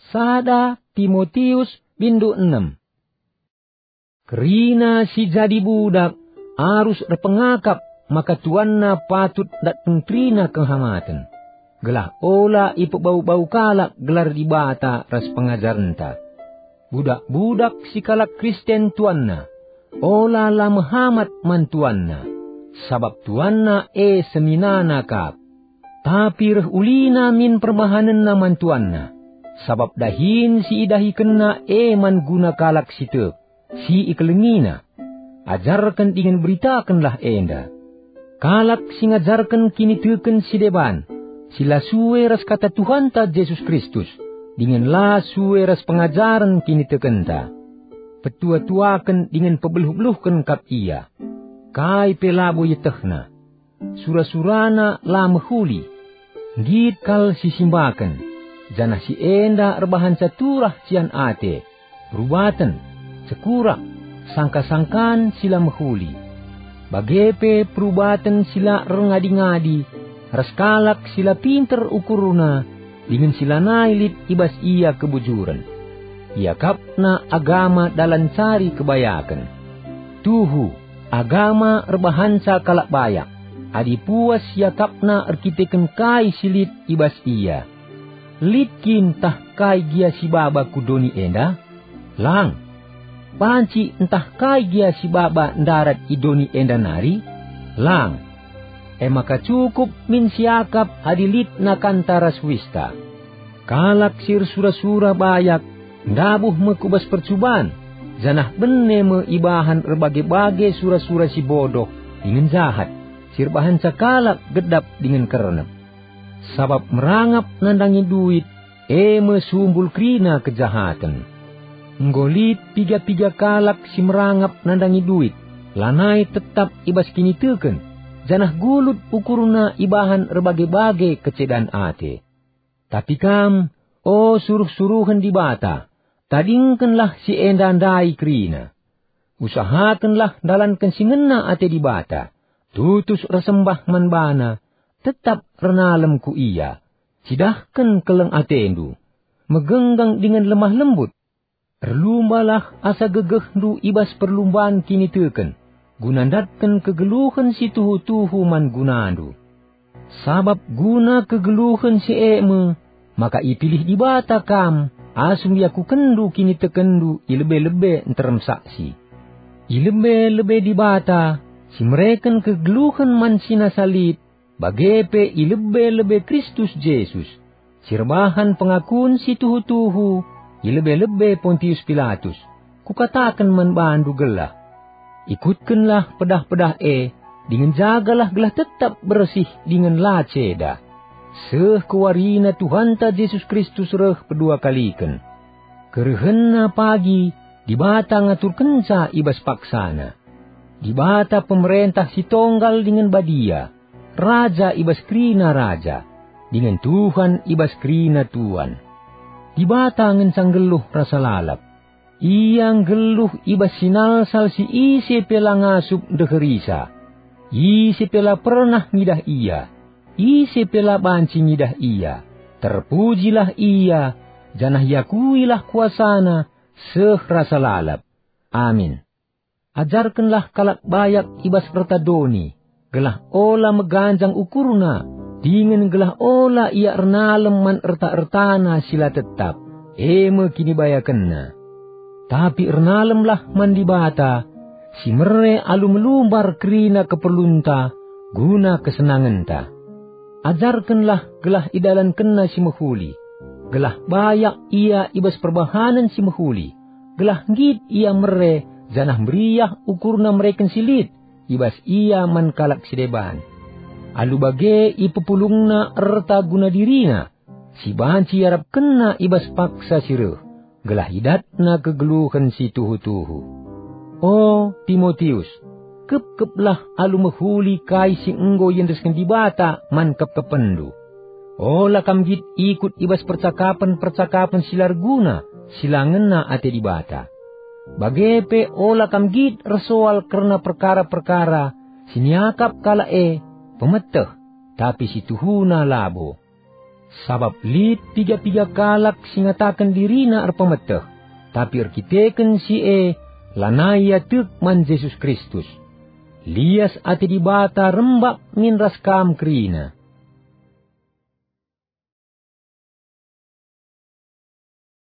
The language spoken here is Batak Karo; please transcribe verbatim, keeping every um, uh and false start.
Sada Timotius bindu enem. Kerina si jadi budak arus erpengakap maka tuanna patut ndatken kerina kehamaten, gelah ola ipebau-bau kalak gelar Dibata ras pengajarenta. Budak-budak si kalak Kristen tuanna, ola la mehamat man tuanna, sabap tuanna e seninana kap. Tapi reh ulina min perbahanenna man tuanna, sabap dahin si idahikenna e man guna kalak si tek, si ikelengina. Ajarken dingen beritakenlah enda. Kalak si ngajarken kiniteken si deban, si la sue ras kata Tuhanta Jesus Kristus, dingen la sue ras pengajaren kinitekenta. Petua-tuaken dingen pebeluh-beluhken kap ia. Kai pe labo ietehna. Sura-surana la mehuli. Nggit kal si simbaken, janah si enda erbahanca turah cian ate, perubaten, cekurak, sangka-sangkan si la mehuli. Bage pe perubaten si la erngadi-ngadi, ras kalak si la pinter ukurna, dingen si lanai lit i bas ia kebujuren. Iakapna agama dalan cari kebayaken. Tuhu, agama erbahanca kalak bayak, adi puas iakapna erkiteken kai si lit i bas ia. Lit kin ntah kai gia si baba ku doni enda? Lang. Banci ntah kai gia si baba ndarat i doni enda nari? Lang. E maka cukup min siakap adi lit nakanta ras uista. Kalak si ersura-sura bayak ndabuh me ku bas percuban, janah bene me ibahan erbage-bage sura-sura si bodoh dingen jahat, si erbahanca kalak gedap dingen kernep. Sabap merangap nandangi duit, e me sumbul kerina kejahaten. Enggo lit piga-piga kalak si merangap nandangi duit, lanai tetap i bas kiniteken, janah gulut ukurna ibahan erbage-bage kecedan ate. Tapi kam, o suruh-suruhen Dibata, tadingkenlah si enda ndai kerina. Usahakenlah ndalanken si ngena ate Dibata, tutus ersembah man baNa, tetap ernalem ku Ia, cidahken keleng atendu, megenggeng dingen lemah lembut. Erlumbalah asa gegehndu i bas perlumban kiniteken, guna ndatken kegeluhen si tuhu-tuhu man gunandu. Sabap guna kegeluhen si e me maka ipilih Dibata kam asum iakukenndu kinitekenndu i lebe-lebe nterem saksi. I lebe-lebe Dibata si mereken kegeluhen man si nasa lit, bage pe i lebe-lebe Kristus Jesus, si erbahan pengakun si tuhu-tuhu i lebe-lebe Pontius Pilatus, kukataken man bandu gelah: Ikutkenlah pedah-pedah e, dingen jagalah gelah tetap bersih dingen la ceda, seh ku warina Tuhanta Jesus Kristus reh pedua kaliken. KerehenNa pagi Dibata ngaturkenca i bas paksaNa. Dibata pemerentah si tonggal dingen badia, Raja i bas kerina raja, dingen Tuhan i bas kerina tuan. Dibata ngenca nggeluh rasa lalap. Ia nggeluh i bas sinalsal si ise pe la ngasup ndeherisa. Ise pe la pernah ngidah ia, ise pe la banci ngidah ia. Terpujilah ia, janah iakuilah kuasana seh rasa lalap. Amin. Ajarkenlah kalak bayak i bas erta doni, gelah ola meganjang ukurna, dingen gelah ola ia ernalem man erta-ertana si la tetap, e me kinibayakenna. Tapi ernalemlah man Dibata, si mere alu melumbar kerina keperlunta guna kesenangenta. Ajarkenlah gelah idalankenna si mehuli, gelah bayak ia i bas perbahanen si mehuli, gelah nggit ia mere janah meriah ukurna mereken si lit i bas ia man kalak si deban. Alu bage ipepulungna erta guna dirina, si banci iarapkenna i bas paksa si reh, gelah idatna kegeluhen si tuhu-tuhu. O Timotius, kepkeplah alu mehuli kai si enggo iendesken Dibata man kepkepenndu. Ola kam nggit ikut i bas percakapen-percakapen si la erguna, si la ngena ate Dibata. Bage pe ola kam nggit ersoal kerna perkara-perkara si niakap kalak e pemeteh, tapi si tuhuna labo. Sabap lit piga-piga kalak si ngataken dirina erpemeteh, tapi erkiteken si e lanai ia tek man Jesus Kristus. Lias ate Dibata rembak min ras kam kerina.